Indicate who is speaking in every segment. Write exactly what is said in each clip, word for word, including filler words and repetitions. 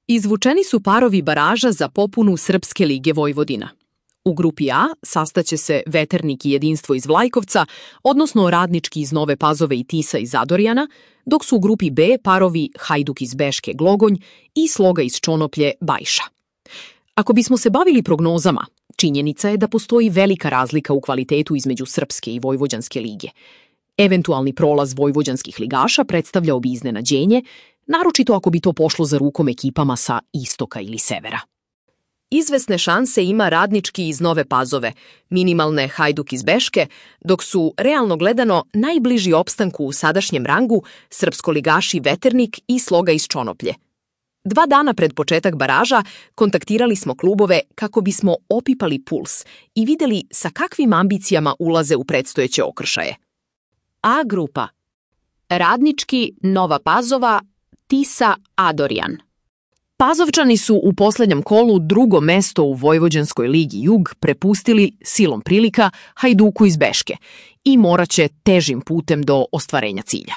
Speaker 1: Izvučeni su parovi baraža za popunu Srpske lige Vojvodina. U grupi A sastaće se Veternik i Jedinstvo iz Vlajkovca, odnosno Radnički iz Nove Pazove i Tisa iz Zadorjana, dok su u grupi B parovi Hajduk iz Beške Glogonj i Sloga iz Čonoplje Bajša. Ako bismo se bavili prognozama, činjenica je da postoji velika razlika u kvalitetu između Srpske i Vojvođanske lige. Eventualni prolaz vojvođanskih ligaša predstavljao bi iznenađenje, naročito ako bi to pošlo za rukom ekipama sa istoka ili severa. Izvesne šanse ima Radnički iz Nove Pazove, minimalne Hajduk iz Beške, dok su, realno gledano, najbliži opstanku u sadašnjem rangu srpskoligaši Veternik i Sloga iz Čonoplje. Dva dana pred početak baraža kontaktirali smo klubove kako bismo opipali puls i videli sa kakvim ambicijama ulaze u predstojeće okršaje. A grupa: Radnički, Nova Pazova, Tisa, Adorjan. Pazovčani su u posljednjem kolu drugo mesto u Vojvođanskoj ligi Jug prepustili silom prilika Hajduku iz Beške i morat će težim putem do ostvarenja cilja.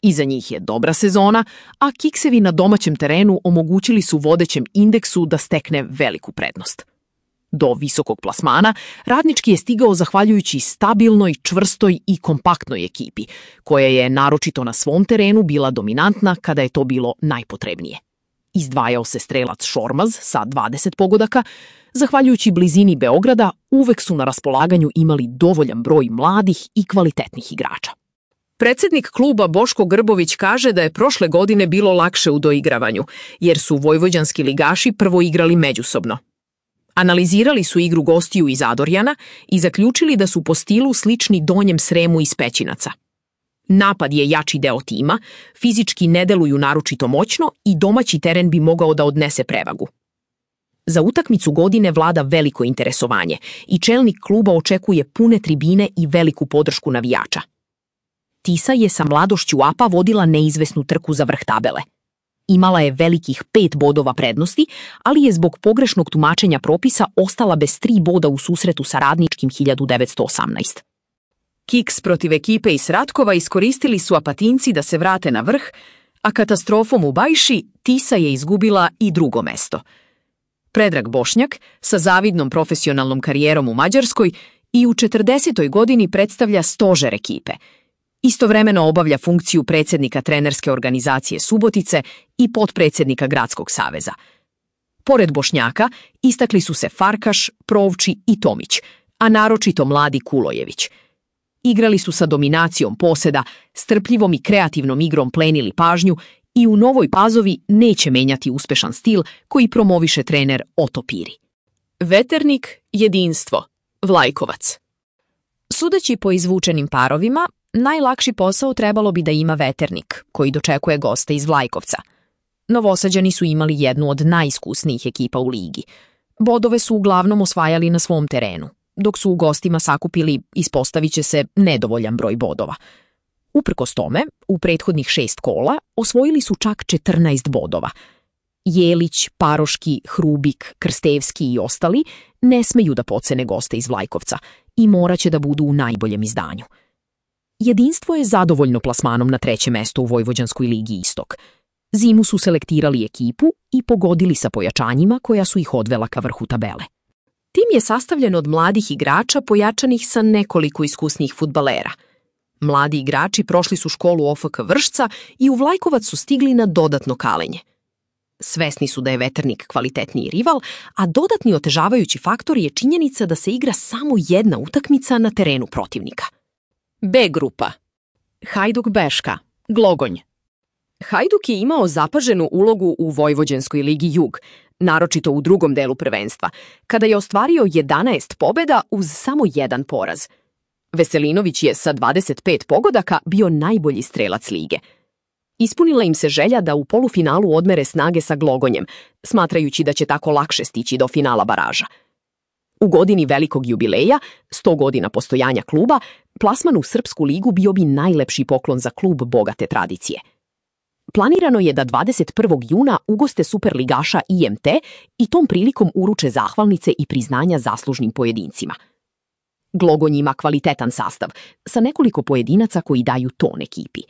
Speaker 1: Iza njih je dobra sezona, a kiksevi na domaćem terenu omogućili su vodećem indeksu da stekne veliku prednost. Do visokog plasmana Radnički je stigao zahvaljujući stabilnoj, čvrstoj i kompaktnoj ekipi, koja je naročito na svom terenu bila dominantna kada je to bilo najpotrebnije. Izdvajao se strelac Šormaz sa dvadeset pogodaka, zahvaljujući blizini Beograda uvek su na raspolaganju imali dovoljan broj mladih i kvalitetnih igrača. Predsednik kluba Boško Grbović kaže da je prošle godine bilo lakše u doigravanju, jer su vojvođanski ligaši prvo igrali međusobno. Analizirali su igru gostiju iz Adorjana i zaključili da su po stilu slični Donjem Sremu iz Pećinaca. Napad je jači deo tima, fizički ne deluju naročito moćno i domaći teren bi mogao da odnese prevagu. Za utakmicu godine vlada veliko interesovanje i čelnik kluba očekuje pune tribine i veliku podršku navijača. Tisa je sa mladošću A P A vodila neizvesnu trku za vrh tabele. Imala je velikih pet bodova prednosti, ali je zbog pogrešnog tumačenja propisa ostala bez tri boda u susretu sa Radničkim hiljadu devetsto osamnaest. Kiks protiv ekipe iz Ratkova iskoristili su Apatinci da se vrate na vrh, a katastrofom u Bajši Tisa je izgubila i drugo mesto. Predrag Bošnjak, sa zavidnom profesionalnom karijerom u Mađarskoj, i u četrdesetoj godini predstavlja stožer ekipe. Istovremeno obavlja funkciju predsjednika trenerske organizacije Subotice i potpredsjednika Gradskog saveza. Pored Bošnjaka istakli su se Farkaš, Provči i Tomić, a naročito mladi Kulojević. Igrali su sa dominacijom poseda, strpljivom i kreativnom igrom plenili pažnju i u Novoj Pazovi neće menjati uspešan stil koji promoviše trener Oto Piri. Veternik, Jedinstvo, Vlajkovac. Sudeći po izvučenim parovima, najlakši posao trebalo bi da ima Veternik, koji dočekuje goste iz Vlajkovca. Novosađani su imali jednu od najiskusnijih ekipa u ligi. Bodove su uglavnom osvajali na svom terenu, dok su u gostima sakupili, ispostavit će se, nedovoljan broj bodova. Uprkos tome, u prethodnih šest kola osvojili su čak četrnaest bodova. Jelić, Paroški, Hrubik, Krstevski i ostali ne smeju da pocene goste iz Vlajkovca i morat će da budu u najboljem izdanju. Jedinstvo je zadovoljno plasmanom na treće mesto u Vojvođanskoj ligi Istok. Zimu su selektirali ekipu i pogodili sa pojačanjima koja su ih odvela ka vrhu tabele. Tim je sastavljen od mladih igrača pojačanih sa nekoliko iskusnijih fudbalera. Mladi igrači prošli su školu O F K Vršca i u Vlajkovac su stigli na dodatno kalenje. Svesni su da je Veternik kvalitetniji rival, a dodatni otežavajući faktor je činjenica da se igra samo jedna utakmica na terenu protivnika. B grupa. Hajduk Beška, Glogonj. Hajduk je imao zapaženu ulogu u Vojvođanskoj ligi Jug, naročito u drugom delu prvenstva, kada je ostvario jedanaest pobeda uz samo jedan poraz. Veselinović je sa dvadeset pet pogodaka bio najbolji strelac lige. Ispunila im se želja da u polufinalu odmere snage sa Glogonjem, smatrajući da će tako lakše stići do finala baraža. U godini velikog jubileja, sto godina postojanja kluba, plasman u Srpsku ligu bio bi najlepši poklon za klub bogate tradicije. Planirano je da dvadeset prvog juna ugoste superligaša I M T i tom prilikom uruče zahvalnice i priznanja zaslužnim pojedincima. Glogonj ima kvalitetan sastav, sa nekoliko pojedinaca koji daju ton ekipi.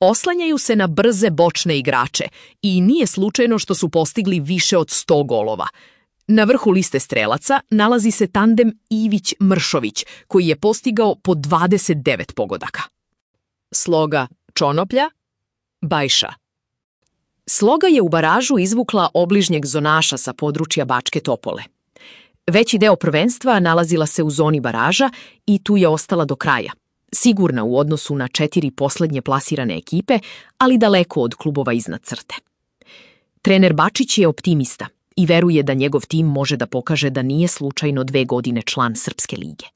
Speaker 1: Oslanjaju se na brze bočne igrače i nije slučajno što su postigli više od sto golova. Na vrhu liste strelaca nalazi se tandem Ivić-Mršović, koji je postigao po dvadeset devet pogodaka. Sloga Čonoplja, Bajša. Sloga je u baražu izvukla obližnjeg zonaša sa područja Bačke Topole. Veći deo prvenstva nalazila se u zoni baraža i tu je ostala do kraja. Sigurna u odnosu na četiri poslednje plasirane ekipe, ali daleko od klubova iznad crte. Trener Bačić je optimista i veruje da njegov tim može da pokaže da nije slučajno dve godine član Srpske lige.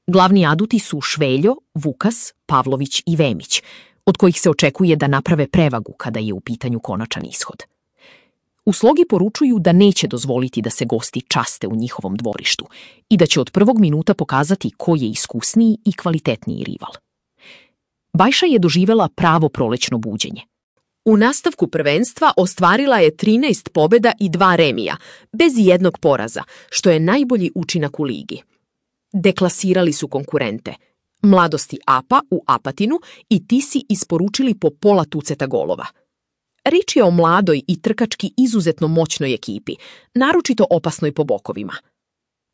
Speaker 1: Glavni aduti su Šveljo, Vukas, Pavlović i Vemić, od kojih se očekuje da naprave prevagu kada je u pitanju konačan ishod. U Slogi poručuju da neće dozvoliti da se gosti časte u njihovom dvorištu i da će od prvog minuta pokazati ko je iskusniji i kvalitetniji rival. Bajša je doživela pravo prolećno buđenje. U nastavku prvenstva ostvarila je trinaest pobeda i dva remija, bez jednog poraza, što je najbolji učinak u ligi. Deklasirali su konkurente. Mladosti A P A u Apatinu i Tisi isporučili po pola tuceta golova. Rič je o mladoj i trkački izuzetno moćnoj ekipi, naročito opasnoj po bokovima.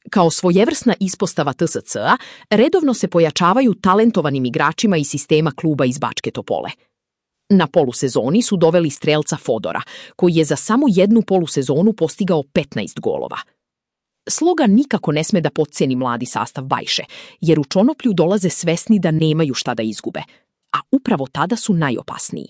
Speaker 1: Kao svojevrsna ispostava T S C-a, redovno se pojačavaju talentovanim igračima iz sistema kluba iz Bačke Topole. Na polusezoni su doveli strelca Fodora, koji je za samo jednu polusezonu postigao petnaest golova. Sloga nikako ne sme da potceni mladi sastav Bajše, jer u Čonoplju dolaze svesni da nemaju šta da izgube, a upravo tada su najopasniji.